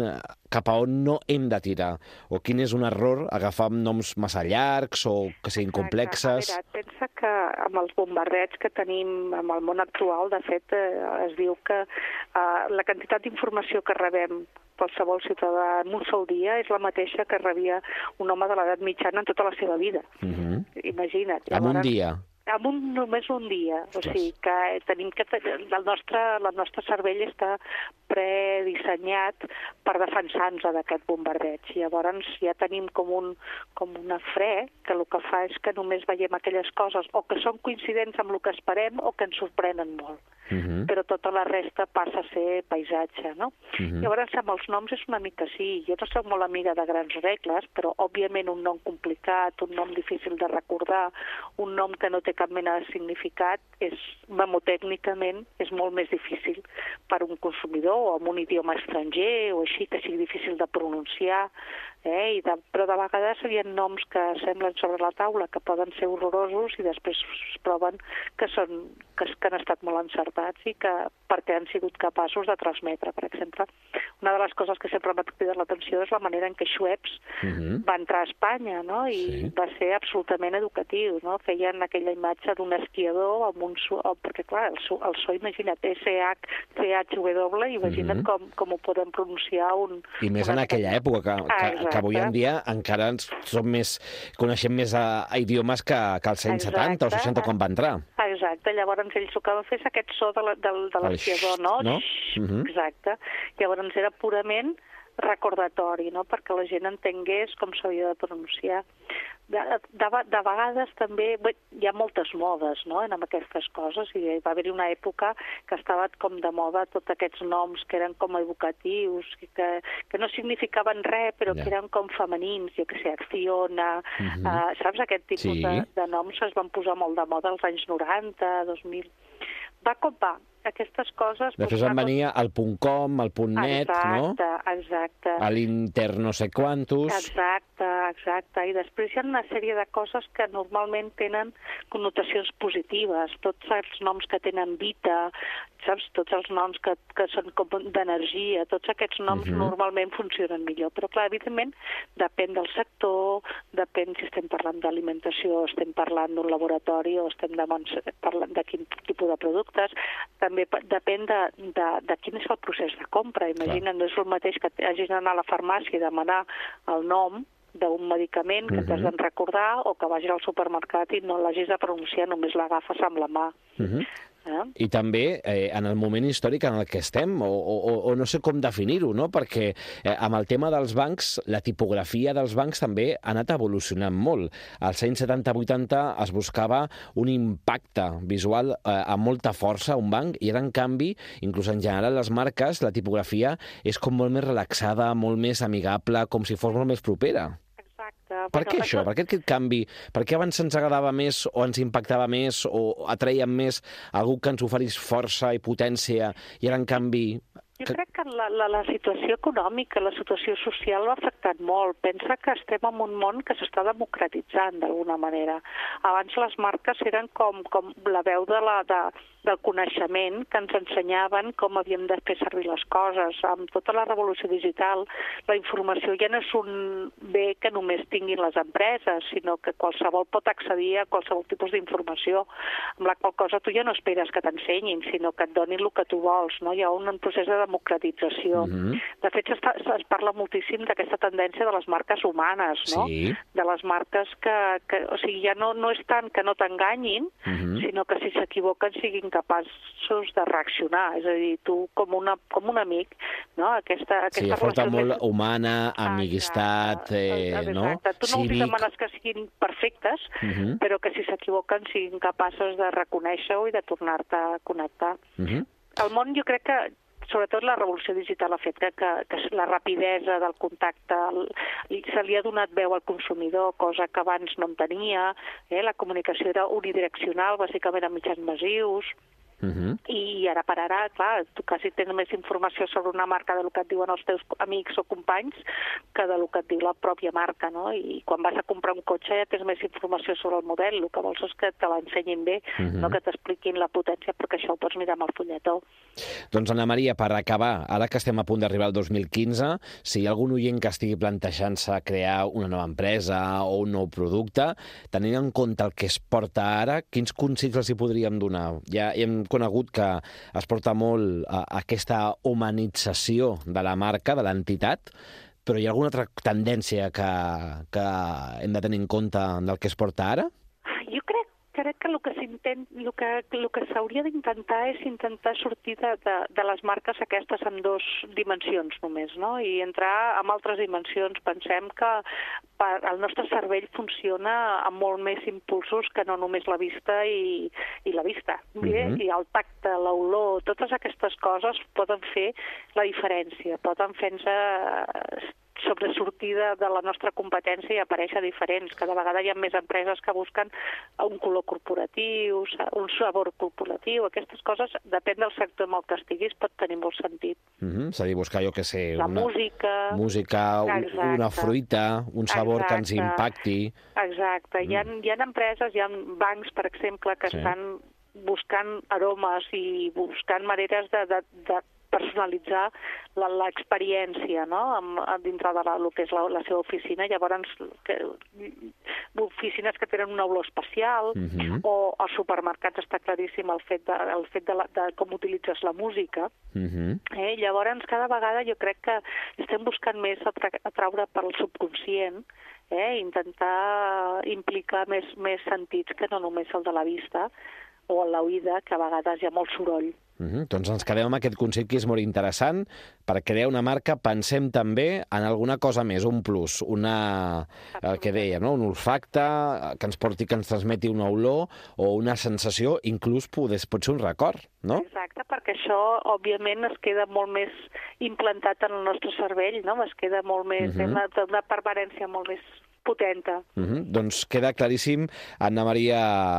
cap a on no hem de tirar, o quin és un error agafar noms massa llargs o que siguin complexes. A veure, pensa que amb els bombardeigs que tenim amb el món actual, de fet, eh, es diu que eh, la quantitat d'informació que rebem qualsevol ciutadà en un sol dia és la mateixa que rebia un home de l'edat mitjana en tota la seva vida. Uh-huh. Imagina't. En un dia? En un, només un dia. O sigui que tenim que... El nostre, el nostre cervell està predissenyat per defensar-nos d'aquest bombardeig. Llavors ja tenim com, un, com una fre que el que fa és que només veiem aquelles coses o que són coincidents amb el que esperem o que ens sorprenen molt. Uh-huh. Però tota la resta passa a ser paisatge, no? Uh-huh. Llavors, amb els noms és una mica sí. Jo no soc molt amiga de grans regles, però òbviament un nom complicat, un nom difícil de recordar, un nom que no té cap mena de significat, és, memotècnicament, és molt més difícil per un consumidor o amb un idioma estranger o així, que sigui difícil de pronunciar, eh? I de, però de vegades hi ha noms que semblen sobre la taula que poden ser horrorosos i després es proven que són, que, que han estat molt encertats i que perquè han sigut capaços de transmetre. Per exemple, una de les coses que sempre m'ha cridat l'atenció és la manera en què Schweppes uh-huh. va entrar a Espanya, no? I sí. va ser absolutament educatiu, no? Feien aquella imatge d'un esquiador amb un so, perquè clar, el so, el so imagina't, S H C H W, imagina't uh-huh. com, com ho podem pronunciar un... I més en aquella època, que, que, que avui en dia encara som més, coneixem més a, a idiomes que, que als anys setanta o seixanta quan va entrar. Exacte, llavors ells el que van fer és aquest so de l'esquiador, no? no? Uh-huh. Exacte. Llavors era purament recordatori, no? Perquè la gent entengués com s'havia de pronunciar. De, de, de vegades també bé, hi ha moltes modes, no?, en aquestes coses, i va haver-hi una època que estava com de moda tots aquests noms que eren com evocatius, que, que no significaven res, però yeah. que eren com femenins, jo que sé, Acciona, uh-huh. uh, saps? Aquest tipus sí. de, de noms es van posar molt de moda als anys noranta, dos mil... Va com va. Aquestes coses... Després van venir el .com, el .net, exacte, no? Exacte, exacte. L'Inter no sé quantos... Exacte, exacte. I després hi ha una sèrie de coses que normalment tenen connotacions positives. Tots els noms que tenen vita, saps? Tots els noms que, que són com d'energia, tots aquests noms uh-huh. normalment funcionen millor. Però, clar, evidentment, depèn del sector, depèn si estem parlant d'alimentació, estem parlant d'un laboratori o estem de, parlant de quin tipus de productes. També depèn de, de, de quin és el procés de compra. Imagina, no és el mateix que hagis d'anar a la farmàcia i demanar el nom d'un medicament que uh-huh. t'has de recordar o que vagis al supermercat i no l'hagis de pronunciar, només l'agafes amb la mà. Uh-huh. Eh? I també eh, en el moment històric en el que estem, o, o, o no sé com definir-ho, no? Perquè eh, amb el tema dels bancs, la tipografia dels bancs també ha anat evolucionant molt. Als anys setanta vuitanta es buscava un impacte visual eh, amb molta força a un banc, i ara, en canvi, inclús en general les marques, la tipografia és com molt més relaxada, molt més amigable, com si fos molt més propera. Per què això? Per què aquest canvi? Per què abans ens agradava més o ens impactava més o atraiem més algú que ens oferís força i potència i ara, en canvi... Jo crec que la, la, la situació econòmica, la situació social l'ha afectat molt. Pensa que estem en un món que s'està democratitzant d'alguna manera. Abans les marques eren com, com la veu de la, de, del coneixement que ens ensenyaven com havíem de fer servir les coses. Amb tota la revolució digital, la informació ja no és un bé que només tinguin les empreses, sinó que qualsevol pot accedir a qualsevol tipus d'informació, amb la qual cosa tu ja no esperes que t'ensenyin, sinó que et donin el que tu vols, no? Hi ha un procés de democratització. Uh-huh. De fet, es, es parla moltíssim d'aquesta tendència de les marques humanes, no? Sí. De les marques que, que... O sigui, ja no, no és tant que no t'enganyin, uh-huh. sinó que si s'equivoquen siguin capaços de reaccionar. És a dir, tu com, una, com un amic, no? Aquesta, aquesta sí, forta molt més... humana, amistat, eh, exacte. no? Tu no els demanes que siguin perfectes, uh-huh. però que si s'equivoquen siguin capaços de reconèixer-ho i de tornar-te a connectar. Uh-huh. El món, jo crec que sobretot la revolució digital ha fet que, que, que la rapidesa del contacte, el, se li ha donat veu al consumidor, cosa que abans no en tenia, eh? La comunicació era unidireccional, bàsicament a mitjans massius, Uh-huh. I ara per ara, clar, tu quasi tens més informació sobre una marca del que et diuen els teus amics o companys que del que et diu la pròpia marca, no? I quan vas a comprar un cotxe ja tens més informació sobre el model, el que vols és que te l'ensenyin bé, uh-huh. no que t'expliquin la potència, perquè això ho pots mirar amb el fulletó. Doncs, Anna Maria, per acabar, ara que estem a punt d'arribar al dos mil quinze, si hi ha algun oient que estigui plantejant-se crear una nova empresa o un nou producte, tenint en compte el que es porta ara, quins consells els hi podríem donar? Ja hem conegut que es porta molt a aquesta humanització de la marca, de l'entitat, però hi ha alguna altra tendència que, que hem de tenir en compte del que es porta ara? Jo crec crec que el que s'intent, el que, el que s'hauria d'intentar és intentar sortir de, de, de les marques aquestes en dues dimensions només, no? I entrar en altres dimensions. Pensem que per, el nostre cervell funciona amb molt més impulsos que no només la vista i, i la vista. Uh-huh. I el tacte, l'olor, totes aquestes coses poden fer la diferència, poden fer-nos sobresortir de, de la nostra competència i aparèixer diferents. Cada vegada hi ha més empreses que busquen un color corporatiu, un sabor corporatiu. Aquestes coses, depèn del sector en el que estiguis, pot tenir molt sentit. Mm-hmm. És a dir, buscar, jo què sé... La una, música... Música, exacte. Una fruita, un sabor exacte. Que ens impacti... Exacte. Mm. Hi ha, hi ha empreses, hi ha bancs, per exemple, que sí. estan buscant aromes i buscant maneres de, de, de personalitzar l'experiència, no?, amb, dintre de la, el que és la, la seva oficina. Llavors, que, oficines que tenen una olor especial, uh-huh. o als supermercats està claríssim el fet de, el fet de, la, de com utilitzes la música. Uh-huh. eh? Llavors, cada vegada jo crec que estem buscant més atra atraure pel subconscient, eh? intentar implicar més, més sentits que no només el de la vista o l'oïda, que a vegades hi ha molt soroll. Uh-huh. Doncs ens quedem amb aquest consell que és molt interessant. Per crear una marca pensem també en alguna cosa més, un plus, una, el que dèiem, no? Un olfacte que ens porti, que ens transmeti una olor o una sensació, inclús pot, pot ser un record, no? Exacte, perquè això, òbviament, es queda molt més implantat en el nostre cervell, no? Es queda molt més, uh-huh. una, una permanència molt més potenta. Uh-huh. Doncs queda claríssim. Anna Maria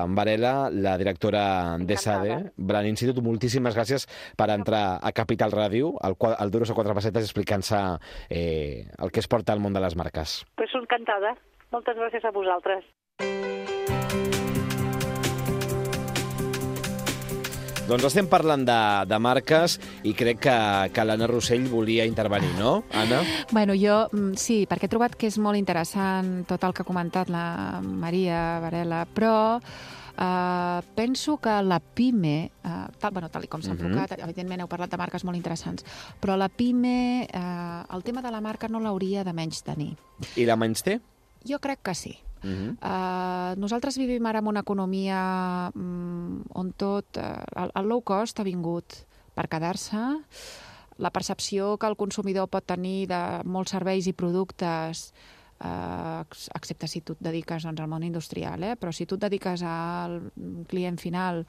Varela, la directora d'ESADE, Brand Institute, moltíssimes gràcies per entrar a Capital Ràdio, al, al Duros a quatre pessetes, explicant-se eh, el que es porta al món de les marques. Pues encantada. Moltes gràcies a vosaltres. Doncs estem parlant de, de marques i crec que, que l'Anna Rossell volia intervenir, no, Anna? Bueno, jo sí, perquè he trobat que és molt interessant tot el que ha comentat la Maria Varela, però eh, penso que la PIME, eh, tal, bueno, tal com s'ha enfocat, uh-huh. evidentment heu parlat de marques molt interessants, però la PIME, eh, el tema de la marca no l'hauria de menys tenir. I la menys té? Jo crec que sí. Uh-huh. uh, nosaltres vivim ara en una economia um, on tot uh, el, el low cost ha vingut per quedar-se. La percepció que el consumidor pot tenir de molts serveis i productes, uh, excepte si tu et dediques doncs, al món industrial, eh? Però si tu et dediques al client final,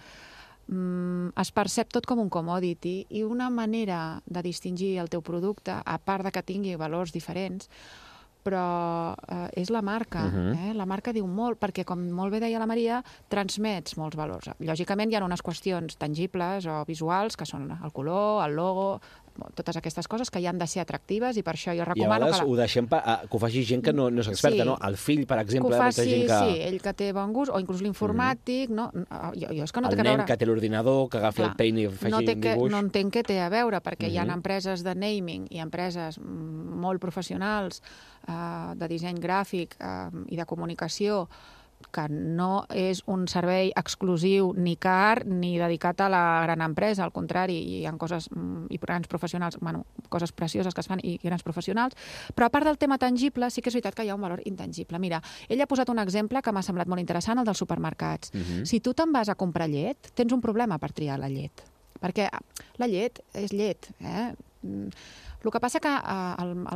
um, es percep tot com un commodity, i una manera de distingir el teu producte, a part de que tingui valors diferents, però eh, és la marca. Uh-huh. eh? La marca diu molt, perquè, com molt bé deia la Maria, transmets molts valors. Lògicament hi ha unes qüestions tangibles o visuals, que són el color, el logo, totes aquestes coses que hi han de ser atractives, i per això jo recomano... I a vegades que la... ho deixem pa, a, que ho faci gent que no, no és experta, sí. no? El fill, per exemple... Que ho faci, gent que... sí, ell que té bon gust, o inclús l'informàtic, mm-hmm. no? Jo, jo és que no el té que nen veure... que té l'ordinador, que agafi Clar, el peine i faci no un dibuix... Que, no entenc què té a veure, perquè mm-hmm. hi ha empreses de naming i empreses molt professionals eh, de disseny gràfic eh, i de comunicació, que no és un servei exclusiu ni car ni dedicat a la gran empresa, al contrari, hi ha coses i grans professionals, bueno, coses precioses que es fan i grans professionals, però a part del tema tangible sí que és veritat que hi ha un valor intangible. Mira, ell ha posat un exemple que m'ha semblat molt interessant, el dels supermercats. Uh-huh. Si tu te'n vas a comprar llet, tens un problema per triar la llet, perquè la llet és llet, eh? El que passa que uh,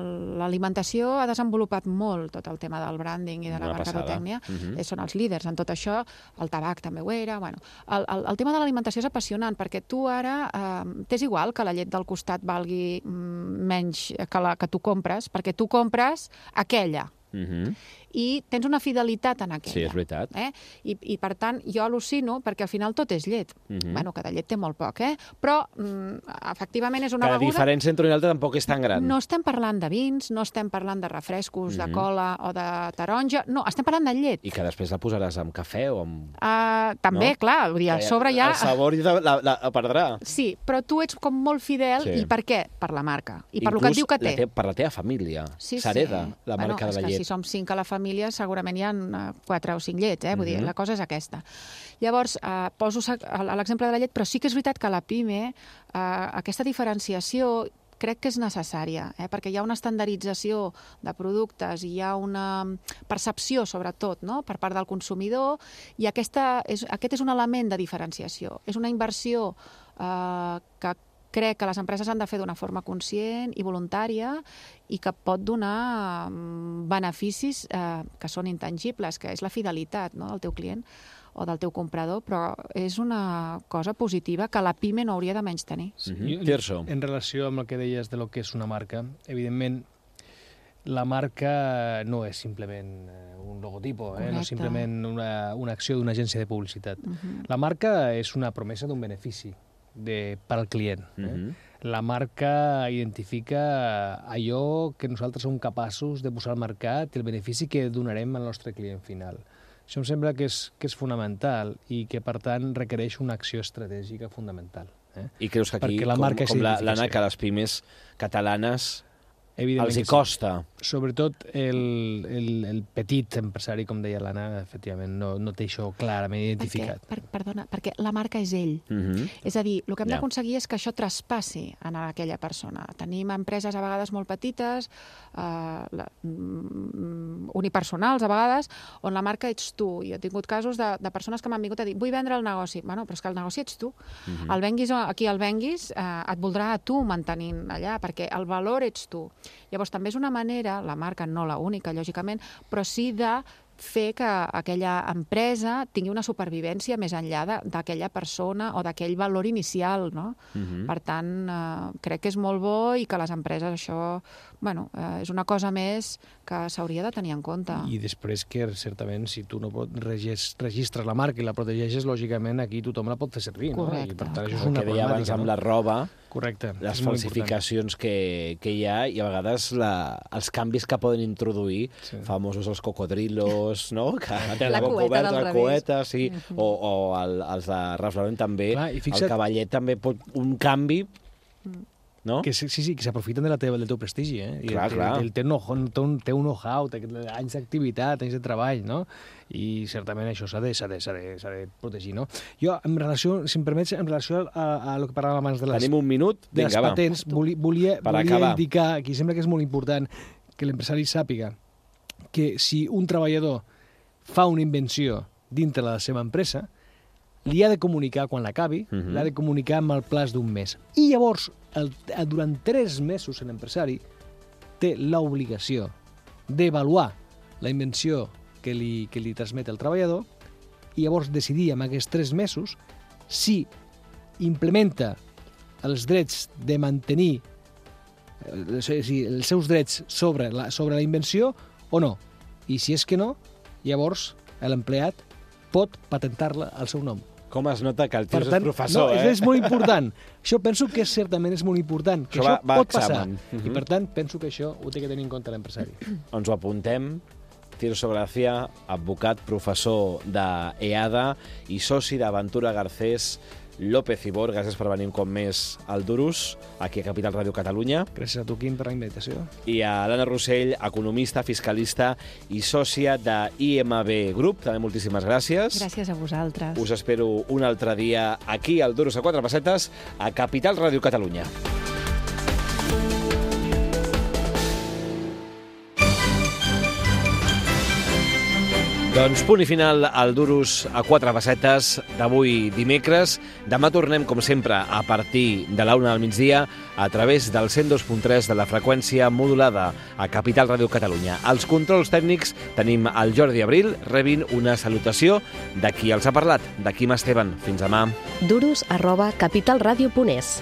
l'alimentació ha desenvolupat molt tot el tema del branding i de la mercadotècnia. Uh-huh. Són els líders en tot això. El tabac també ho era. Bueno, el, el, el tema de l'alimentació és apassionant, perquè tu ara uh, t'és igual que la llet del costat valgui mm, menys que la que tu compres, perquè tu compres aquella. Uh-huh. I tens una fidelitat en aquella. Sí, és veritat. Eh? I, I, per tant, jo al·lucino, perquè al final tot és llet. Uh-huh. Bueno, que de llet té molt poc, eh? Però, mm, efectivament, és una que beguda... La diferència entre un i l'altre tampoc és tan gran. No estem parlant de vins, no estem parlant de refrescos, uh-huh. de cola o de taronja, no, estem parlant de llet. I que després la posaràs amb cafè o amb... Uh, també, no? Clar, vull dir, a sobre ja... El sabor la, la, la perdrà. Sí, però tu ets com molt fidel, sí. I per què? Per la marca. I per Inclús lo que et diu que té. Te, per la teva família. Sí, s'hereda sí. la bueno, marca de la llet. És que si som cinc a la família, segurament hi ha quatre o cinc llets, eh? Vull uh-huh. dir, la cosa és aquesta. Llavors, eh, poso l'exemple de la llet, però sí que és veritat que la PIME, eh, aquesta diferenciació crec que és necessària, eh? Perquè hi ha una estandardització de productes i hi ha una percepció, sobretot, no? Per part del consumidor, i aquesta és, aquest és un element de diferenciació. És una inversió eh, que crec que les empreses han de fer d'una forma conscient i voluntària i que pot donar beneficis eh, que són intangibles, que és la fidelitat, no?, del teu client o del teu comprador, però és una cosa positiva que la PIME no hauria de menys tenir. Sí. Mm-hmm. En relació amb el que deies de lo que és una marca, evidentment, la marca no és simplement un logotipo, eh? No és simplement una, una acció d'una agència de publicitat. Uh-huh. La marca és una promesa d'un benefici de, per al client. Eh? Uh-huh. La marca identifica allò que nosaltres som capaços de posar al mercat i el benefici que donarem al nostre client final. Això em sembla que és, que és fonamental i que, per tant, requereix una acció estratègica fundamental. Eh? I creus que aquí, la com, com l'Anna, que les pimes catalanes els hi costa? Sí. Sobretot el, el, el petit empresari, com deia l'Anna, efectivament, no, no té això clarament identificat. Per, perdona, perquè la marca és ell. Uh-huh. És a dir, el que hem yeah. d'aconseguir és que això traspassi en aquella persona. Tenim empreses a vegades molt petites, eh, la, mm, unipersonals a vegades, on la marca ets tu. I he tingut casos de, de persones que m'han vingut a dir vull vendre el negoci. Bueno, però és que el negoci ets tu. Uh-huh. El venguis aquí el venguis, eh, et voldrà a tu mantenint allà, perquè el valor ets tu. Llavors, també és una manera, la marca no la única, lògicament, però sí de fer que aquella empresa tingui una supervivència més enllà d'aquella persona o d'aquell valor inicial, no? Uh-huh. Per tant, eh, crec que és molt bo i que les empreses això, bueno, eh, és una cosa més que s'hauria de tenir en compte. I després que, certament, si tu no pot regis, registres la marca i la protegeixes, lògicament aquí tothom la pot fer servir, correcte, no? I per tant, això és una problemàtica, abans amb no? la roba, correcte, les falsificacions que, que hi ha i a vegades la, els canvis que poden introduir, sí. famosos els cocodrilos, no? Que la cueta del la cueta, sí, uh-huh. o, o el, els de Ralph Lauren també, clar, fixa't, el cavallet també pot un canvi, no? Que sí, sí, que s'aprofiten de la teva, del teu prestigi, eh? I clar, el, clar. El, el, té, un, té, un, té un know-how, té anys d'activitat, anys de treball, no? I certament això s'ha de, s'ha de, s'ha de, s'ha de protegir, no? Jo, en relació, si em permets, en relació a, a lo que parlàvem abans de les, Tenim un minut, de les vinga, patents, volia, volia, volia indicar, aquí sembla que és molt important que l'empresari sàpiga que si un treballador fa una invenció dintre la seva empresa, li ha de comunicar quan l'acabi, uh-huh. l'ha de comunicar amb el plaç d'un mes. I llavors, el, durant tres mesos, l'empresari té l'obligació d'avaluar la invenció que li, que li transmet el treballador i llavors decidir en aquests tres mesos si implementa els drets de mantenir eh, si, els seus drets sobre la, sobre la invenció o no. I si és que no, llavors l'empleat pot patentar-la al seu nom. Com es nota que el tio és professor, no, eh? És molt important. Això penso que certament és molt important, que això, això va, va pot passar. Uh-huh. I per tant, penso que això ho té que tenir en compte l'empresari. Ens ho apuntem. Tirso Gracia, advocat, professor d'EADA i soci d'Aventura Garcés López Ibor. Gràcies per venir un cop més al Durus, aquí a Capital Ràdio Catalunya. Gràcies a tu, Quim, per la invitació. I a l'Anna Rossell, economista, fiscalista i sòcia de I M B Group. També moltíssimes gràcies. Gràcies a vosaltres. Us espero un altre dia aquí al Durus a quatre pessetes a Capital Ràdio Catalunya. Doncs punt i final al Durus a quatre pessetes d'avui dimecres. Demà tornem, com sempre, a partir de la una del migdia a través del cent dos punt tres de la freqüència modulada a Capital Ràdio Catalunya. Als controls tècnics tenim el Jordi Abril. Rebin una salutació de qui els ha parlat, de Quim Esteban. Fins demà. Durus arroba capitalradio punt es